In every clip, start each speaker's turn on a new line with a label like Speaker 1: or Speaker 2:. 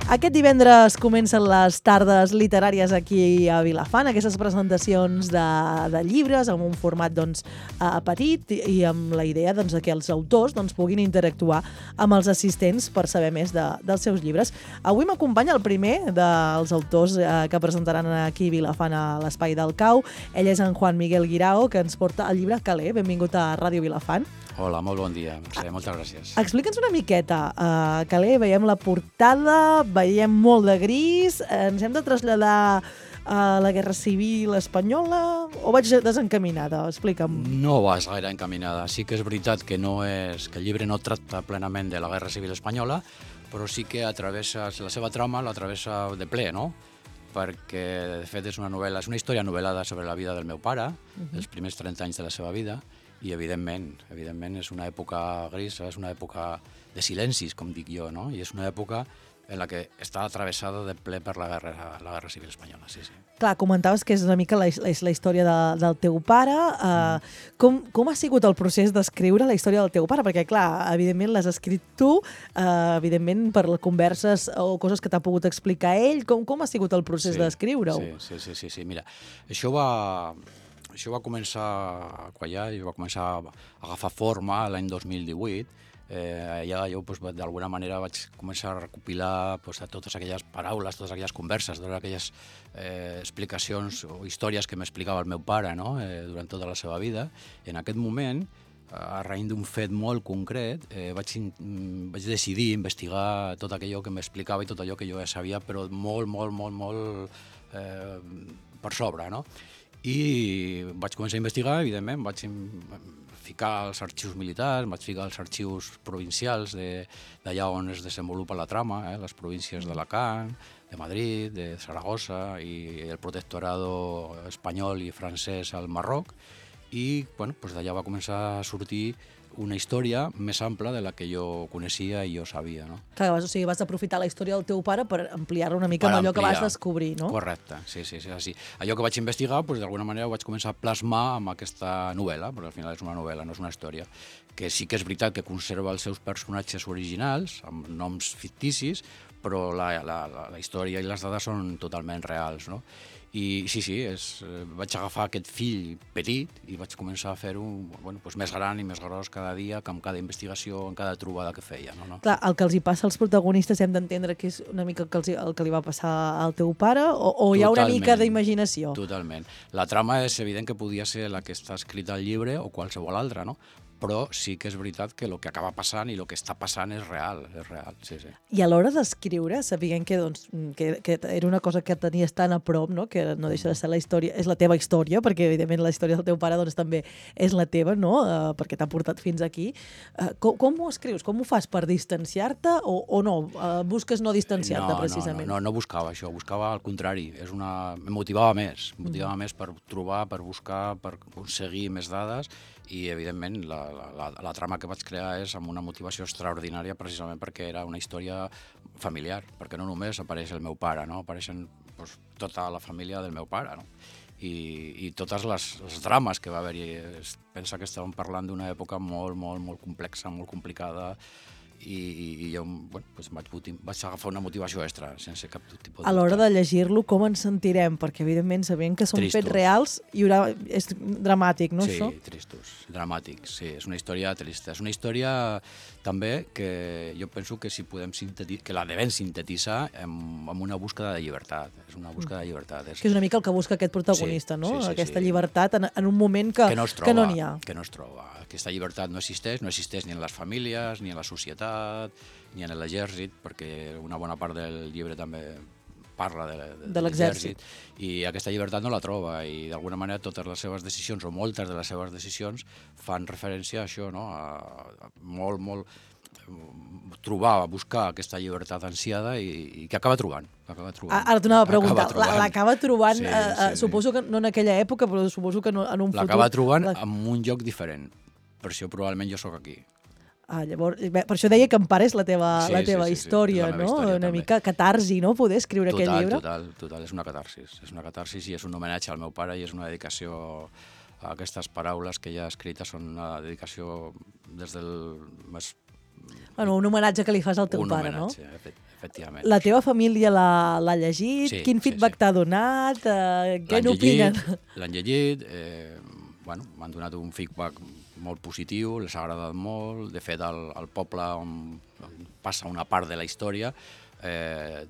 Speaker 1: Aquest divendres comencen les tardes literàries aquí a Vilafant, aquestes presentacions de llibres amb un format petit i amb la idea que els autors puguin interactuar amb els assistents per saber més dels seus llibres. Avui m'acompanya el primer dels autors que presentaran aquí a Vilafant a l'Espai del Cau. Ell és en Juan Miguel Guirao, que ens porta el llibre Calé. Benvingut a Ràdio Vilafant.
Speaker 2: Hola, molt bon dia, Mercè, moltes gràcies.
Speaker 1: Explica'ns una miqueta. Calé, veiem la portada, veiem molt de gris, ens hem de traslladar a la Guerra Civil Espanyola o vaig desencaminada? Explica'm.
Speaker 2: No vas gaire encaminada. Sí que és veritat que el llibre no tracta plenament de la Guerra Civil Espanyola, però sí que la seva trama l'atravessa de ple, no? Perquè, de fet, és una història novel·lada sobre la vida del meu pare, els primers 30 anys de la seva vida, i evidentment és una època grisa, és una època de silencis, com dic jo, no? I és una època en la que està atravessada de ple per la Guerra Civil Espanyola, sí.
Speaker 1: Clar, comentaves que és una mica la història del teu pare. Com ha sigut el procés d'escriure la història del teu pare? Perquè, clar, evidentment l'has escrit tu, evidentment per les converses o coses que t'ha pogut explicar ell. Com ha sigut el procés d'escriure-ho?
Speaker 2: Sí. Mira, això va començar a quallar i va començar a agafar forma l'any 2018. Allà jo d'alguna manera vaig començar a recopilar totes aquelles paraules, totes aquelles converses, totes aquelles explicacions o històries que m'explicava el meu pare, no? Durant tota la seva vida. I en aquest moment, a raïm d'un fet molt concret, vaig decidir investigar tot allò que m'explicava i tot allò que jo ja sabia, però molt per sobre, no? I vaig començar a investigar, evidentment, vaig ficar als arxius militars, vaig ficar als arxius provincials d'allà on es desenvolupa la trama, les províncies d'Alacant, de Madrid, de Saragossa i el protectorado espanyol i francès al Marroc, i d'allà va començar a sortir una història més ampla de la que jo coneixia i jo sabia, no?
Speaker 1: Clar, o sigui, vas aprofitar la història del teu pare per ampliar-la una mica amb allò que vas descobrir, no?
Speaker 2: Correcte, sí. Allò que vaig investigar, d'alguna manera ho vaig començar a plasmar amb aquesta novel·la, perquè al final és una novel·la, no és una història, que sí que és veritat que conserva els seus personatges originals, amb noms ficticis, però la història i les dades són totalment reals, no? I sí, vaig agafar aquest fill petit i vaig començar a fer-ho més gran i més gros cada dia, amb cada investigació, amb cada trobada que feia. No?
Speaker 1: Clar, el que els hi passa als protagonistes hem d'entendre que és una mica el que li va passar al teu pare o hi ha una mica d'imaginació?
Speaker 2: Totalment. La trama és evident que podia ser la que està escrita al llibre o qualsevol altra, no? Però sí que és veritat que el que acaba passant i el que està passant és real, sí.
Speaker 1: I a l'hora d'escriure, sabien que era una cosa que tenies tan a prop, no? Que no deixa de ser la història, és la teva història, perquè evidentment la història del teu pare també és la teva, no? Perquè t'ha portat fins aquí. Com ho escrius? Com ho fas per distanciar-te o no? Busques no distanciar-te, precisament?
Speaker 2: No buscava això, buscava al contrari. Em motivava més per trobar, per buscar, per aconseguir més dades i, evidentment, la trama que vaig crear és amb una motivació extraordinària precisament perquè era una història familiar, perquè no només apareix el meu pare, no? Apareixen tota la família del meu pare, no? I totes les drames que va haver-hi. Pensa que estàvem parlant d'una època molt complexa, molt complicada, i jo vaig agafar una motivació extra, sense cap tipus de...
Speaker 1: A l'hora de llegir-lo, com ens sentirem? Perquè, evidentment, sabent que són fets reals, és dramàtic, no, això?
Speaker 2: Sí, tristos, dramàtics, sí. És una història trista. És una història, també, que jo penso que que la devem sintetitzar amb una búsqueda de llibertat. És una búsqueda de llibertat.
Speaker 1: Que és una mica el que busca aquest protagonista, no? Aquesta llibertat en un moment que no n'hi ha.
Speaker 2: Que no es troba. Aquesta llibertat no existeix ni en les famílies, ni en la societat, ni en l'exèrcit, perquè una bona part del llibre també parla de l'exèrcit, i aquesta llibertat no la troba, i d'alguna manera totes les seves decisions, o moltes de les seves decisions, fan referència a això, no? A buscar aquesta llibertat ansiada i que acaba trobant.
Speaker 1: Ara t'anava a preguntar, l'acaba trobant, suposo que no en aquella època, però suposo que en un futur...
Speaker 2: L'acaba trobant en un lloc diferent, per això probablement jo sóc aquí.
Speaker 1: Llavors, per això deia que en part és la teva història, no? Una mica catarsi, no? Poder escriure aquest llibre.
Speaker 2: Total, és una catarsis i és un homenatge al meu pare i és una dedicació a aquestes paraules que ja escrites, són una dedicació des del més
Speaker 1: Bueno, un homenatge que li fas al teu
Speaker 2: un
Speaker 1: pare, no?
Speaker 2: homenatge, efectivament.
Speaker 1: La teva família l'ha llegit?
Speaker 2: Sí,
Speaker 1: Quin feedback t'ha donat? Què n'opinen?
Speaker 2: L'han llegit, m'han donat un feedback molt positiu, les ha agradat molt. De fet, al poble on passa una part de la història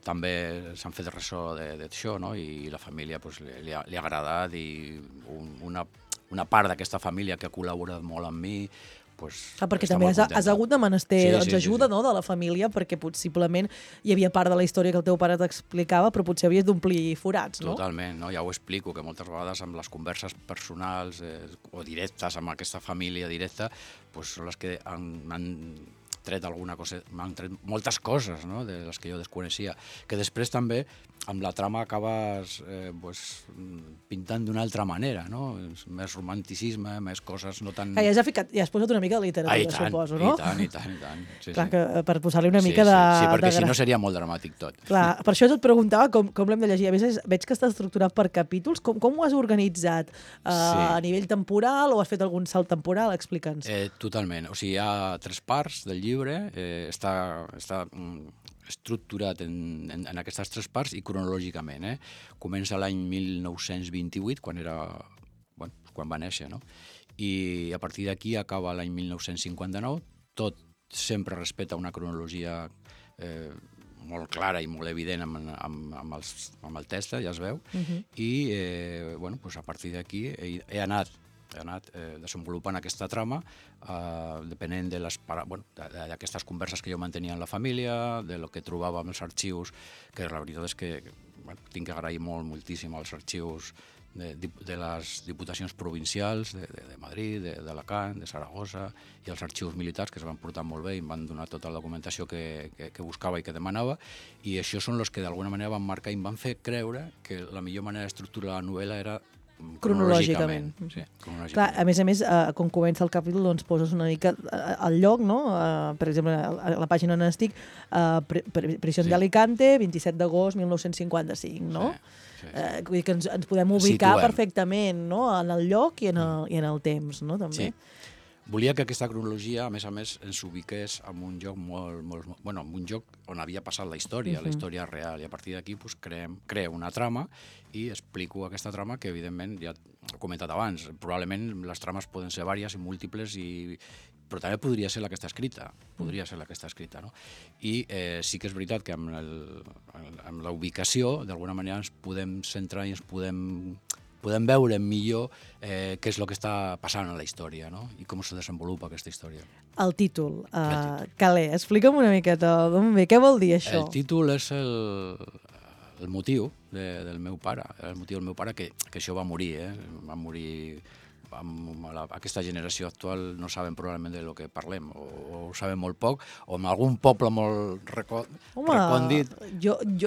Speaker 2: també s'han fet ressò d'això, no? I la família li ha agradat, i una part d'aquesta família que ha col·laborat molt amb mi,
Speaker 1: perquè també has hagut de menester ajuda de la família, perquè possiblement hi havia part de la història que el teu pare t'explicava, però potser havies d'omplir forats, no?
Speaker 2: Totalment, no? Ja ho explico, que moltes vegades amb les converses personals o directes amb aquesta família directa són les que m'han tret alguna cosa, m'han tret moltes coses, no?, de les que jo desconeixia, que després també amb la trama acabes pintant d'una altra manera, no? Més romanticisme, més coses no tan...
Speaker 1: Ja has posat una mica de literatura, suposo, no?
Speaker 2: I tant.
Speaker 1: Clar, que per posar-li una mica de...
Speaker 2: Sí, perquè si no seria molt dramàtic tot.
Speaker 1: Clar, per això et preguntava com l'hem de llegir. A més, veig que està estructurat per capítols. Com ho has organitzat? A nivell temporal o has fet algun salt temporal? Explica'ns.
Speaker 2: Totalment. O sigui, hi ha 3 parts del llibre, està estructurat en aquestes 3 parts i cronològicament. Comença l'any 1928, quan va néixer, no? I a partir d'aquí acaba l'any 1959, tot sempre respecta una cronologia molt clara i molt evident amb el text, ja es veu, i a partir d'aquí he anat desenvolupant aquesta trama depenent d'aquestes converses que jo mantenia amb la família, de lo que trobava amb els arxius, que la veritat és que tinc que agrair moltíssim als arxius de les diputacions provincials de Madrid, d'Alacant, de Saragossa, i els arxius militars, que es van portar molt bé i em van donar tota la documentació que buscava i que demanava, i això són els que d'alguna manera van marcar i em van fer creure que la millor manera d'estructurar la novel·la era cronològicament. Sí,
Speaker 1: clar, a més, quan comença el capítol, doncs poses una mica al lloc, no? Per exemple, a la pàgina on estic, Prisión de Alicante, 27 d'agost 1955, no? Vull dir que ens podem ubicar perfectament, no?, en el lloc i en el temps, no?, també.
Speaker 2: Sí. Volia que aquesta cronologia, a més, ens ubiqués en un lloc en un lloc on havia passat la història real, i a partir d'aquí creo una trama i explico aquesta trama que, evidentment, ja he comentat abans, probablement les trames poden ser vàries i múltiples, però també podria ser la que està escrita, no? I sí que és veritat que amb la ubicació, d'alguna manera, ens podem centrar i ens podem veure millor què és el que està passant en la història, no? I com se desenvolupa aquesta història.
Speaker 1: El títol, Calais, explica'm una miqueta d'on ve, què vol dir això?
Speaker 2: El títol és el motiu del meu pare, que això va morir, va morir amb aquesta generació actual, no saben probablement de lo que parlem, o ho saben molt poc, o en algun poble molt recòndit.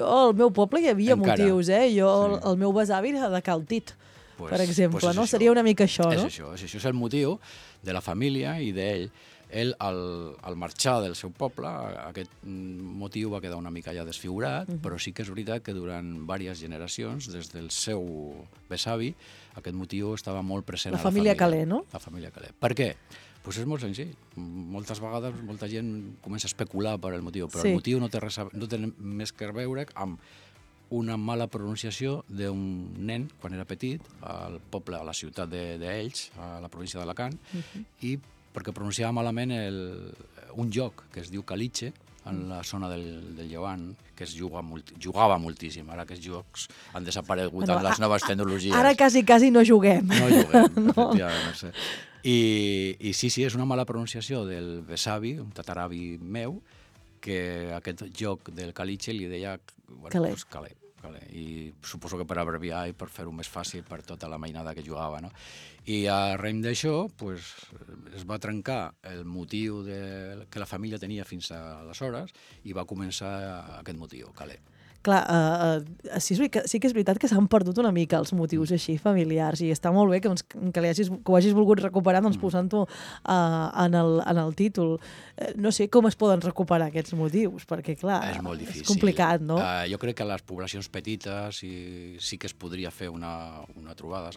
Speaker 1: Al meu poble hi havia motius, el meu besavi era de Caltit, per exemple, no? Seria una mica això, no?
Speaker 2: És el motiu de la família i d'ell. Ell, al marxar del seu poble, aquest motiu va quedar una mica ja desfigurat, però sí que és veritat que durant diverses generacions, des del seu besavi, aquest motiu estava molt present a la família.
Speaker 1: La família Calais, no?
Speaker 2: La família Calais. Per què? Doncs és molt senzill. Moltes vegades molta gent comença a especular per el motiu, però el motiu no té més que veure amb una mala pronunciació d'un nen quan era petit, al poble, a la ciutat d'Elx, a la província d'Alacant, i perquè pronunciava malament un joc que es diu caliche, en la zona del Llevant, que es jugava moltíssim. Ara aquests jocs han desaparegut amb les noves tecnologies.
Speaker 1: Ara quasi no juguem.
Speaker 2: No juguem, efectivament, no sé. I sí, és una mala pronunciació del besavi, un tataravi meu, que aquest joc del caliche li deia Calais. I suposo que per abreviar i per fer-ho més fàcil per tota la mainada que jugava, no? I arrem d'això es va trencar el motiu que la família tenia fins aleshores i va començar aquest motiu, Calais.
Speaker 1: Clar, sí que és veritat que s'han perdut una mica els motius així familiars i està molt bé que ho hagis volgut recuperar posant-ho en el títol. No sé com es poden recuperar aquests motius, perquè clar,
Speaker 2: és molt difícil.
Speaker 1: És complicat, no?
Speaker 2: Jo crec que a les poblacions petites sí que es podria fer una trobada.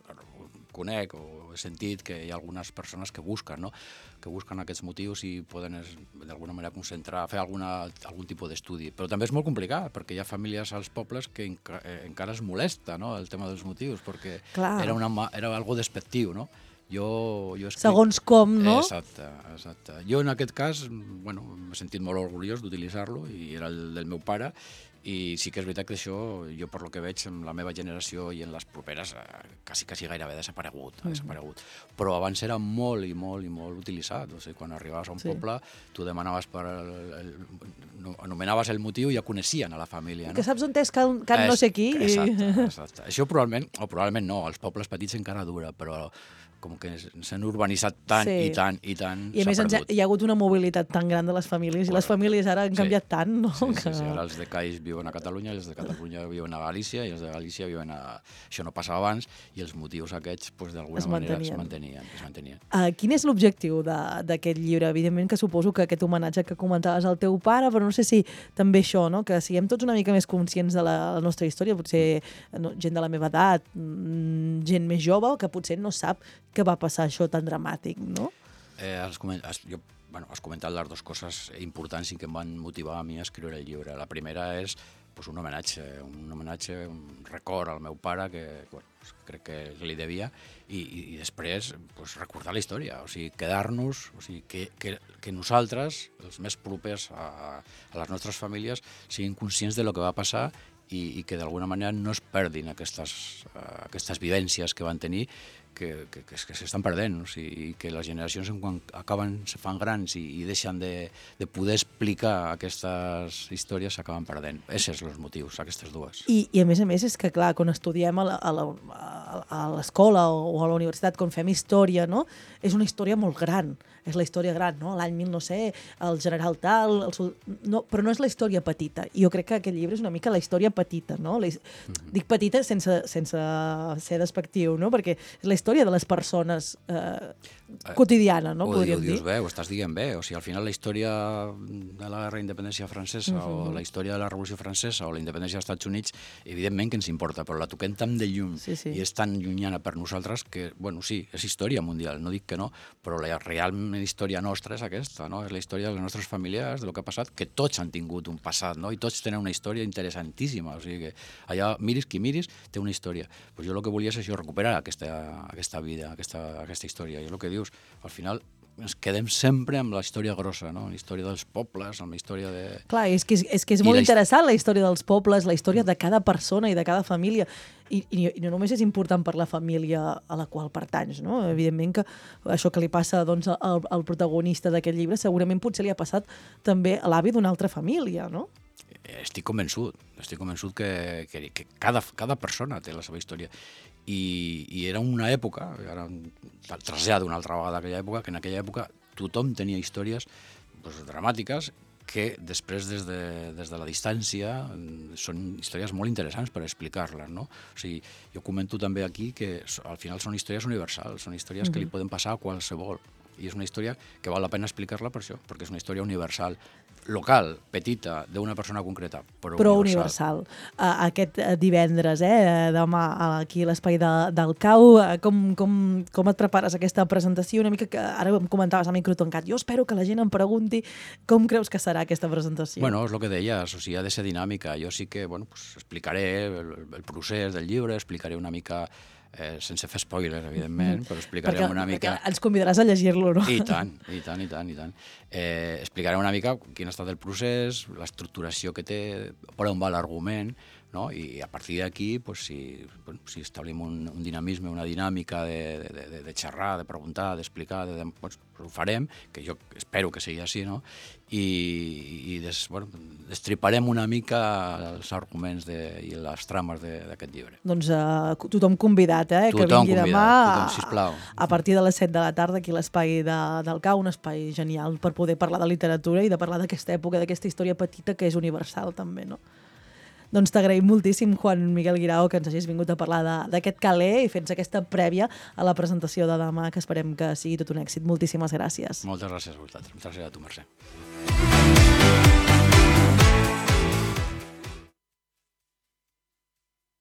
Speaker 2: conec o he sentit que hi ha algunes persones que busquen, no? Que busquen aquests motius i poden d'alguna manera concentrar, fer algun tipus d'estudi. Però també és molt complicat, perquè hi ha famílies als pobles que encara es molesta, no?, el tema dels motius, perquè era algo despectiu, no?
Speaker 1: Segons com, no?
Speaker 2: Exacte. Jo en aquest cas, bueno, m'he sentit molt orgullós d'utilitzar-lo i era el del meu pare, i sí que és veritat que això, jo per lo que veig en la meva generació i en les properes, quasi gairebé ha desaparegut. Però abans era molt i molt utilitzat. O sigui, quan arribaves a un poble, tu demanaves anomenaves el motiu i ja coneixien a la família.
Speaker 1: Que saps on és can no sé qui.
Speaker 2: Exacte. Això probablement no, als pobles petits encara dura, però com que s'han urbanitzat tant i tant,
Speaker 1: i a més hi ha hagut una mobilitat tan gran de les famílies, i les famílies ara han canviat tant, no?
Speaker 2: Sí, ara els de Caix viuen a Catalunya, els de Catalunya viuen a Galícia, i els de Galícia viuen a... Això no passava abans, i els motius aquests, d'alguna manera, es mantenien.
Speaker 1: Quin és l'objectiu d'aquest llibre? Evidentment que suposo que aquest homenatge que comentaves al teu pare, però no sé si també això, no?, que siguem tots una mica més conscients de la nostra història, potser gent de la meva edat, gent més jove, que potser no sap que va passar això tan dramàtic, no?
Speaker 2: Has comentat les dues coses importants i que em van motivar a mi a escriure el llibre. La primera és un homenatge, un record al meu pare que crec que li devia, i després recordar la història, o sigui, quedar-nos, o sigui, que nosaltres, els més propers a les nostres famílies, siguin conscients de lo que va passar i que d'alguna manera no es perdin aquestes vivències que van tenir, que s'estan perdent, o sigui, que les generacions quan se fan grans i deixen de poder explicar aquestes històries s'acaben perdent. Aquests són els motius, aquestes dues.
Speaker 1: I a més és que, clar, quan estudiem a l'escola o a la universitat, quan fem història, no?, és una història molt gran, és la història gran, no?, l'any 1900, el general tal, però no és la història petita. I jo crec que aquest llibre és una mica la història petita, no? Dic petita sense ser despectiu, no?, perquè és la història de les persones quotidiana, no? Podríem dir.
Speaker 2: Ho dius bé, ho estàs dient bé. O sigui, al final la història de la guerra d'independència francesa o la història de la Revolució Francesa o la independència dels Estats Units, evidentment que ens importa, però la toquem tan de lluny i és tan llunyana per nosaltres que, bueno, sí, és història mundial, no dic que no, però la realment història nostra és aquesta, no? És la història de les nostres famílies, de lo que ha passat, que tots han tingut un passat, no? I tots tenen una història interessantíssima, o sigui que allà miris qui miris té una història. Pues jo el que volia és això, recuperar aquesta vida, aquesta història. I és el que dius, al final ens quedem sempre amb la història grossa, no? La història dels pobles, amb la història de...
Speaker 1: Clar, és que és molt interessant la història dels pobles, la història de cada persona i de cada família. I no només és important per la família a la qual pertanys, no? Evidentment que això que li passa al protagonista d'aquest llibre segurament potser li ha passat també a l'avi d'una altra família, no?
Speaker 2: Estic convençut que cada persona té la seva història. I era una època, ara trasllado una altra vegada aquella època, que en aquella època tothom tenia històries dramàtiques que després des de la distància són històries molt interessants per explicar-les, no? O sigui, jo comento també aquí que al final són històries universals, són històries que li poden passar a qualsevol, i és una història que val la pena explicar-la per això, perquè és una història universal, local, petita, d'una persona concreta, però universal.
Speaker 1: Aquest divendres, demà, aquí a l'Espai del Cau, com et prepares aquesta presentació? Una mica que ara em comentaves a micro tancat. Jo espero que la gent em pregunti com creus que serà aquesta presentació.
Speaker 2: Bueno, és el que deies, o sigui, ha de ser dinàmica. Jo sí que, explicaré el procés del llibre, explicaré una mica... sense fer spoilers, evidentment, però explicarem una mica...
Speaker 1: Perquè ens convidaràs a llegir-lo, no?
Speaker 2: I tant. Explicarem una mica quin ha estat el procés, l'estructuració que té, per on va l'argument, no? I a partir d'aquí, si establim un dinamisme, una dinàmica de xerrar, de preguntar, d'explicar, ho farem, que jo espero que sigui així, no? I destriparem una mica els arguments i les trames d'aquest llibre.
Speaker 1: Doncs tothom convidat, que vingui demà a partir de les 7 de la tarda aquí a l'Espai del Cau, un espai genial per poder parlar de literatura i de parlar d'aquesta època, d'aquesta història petita que és universal també, no? Doncs t'agraïm moltíssim, Juan Miguel Guirao, que ens hagis vingut a parlar d'aquest calé i fer-nos aquesta prèvia a la presentació de demà, que esperem que sigui tot un èxit. Moltíssimes gràcies.
Speaker 2: Moltes gràcies a vosaltres. Moltes gràcies a tu, Mercè.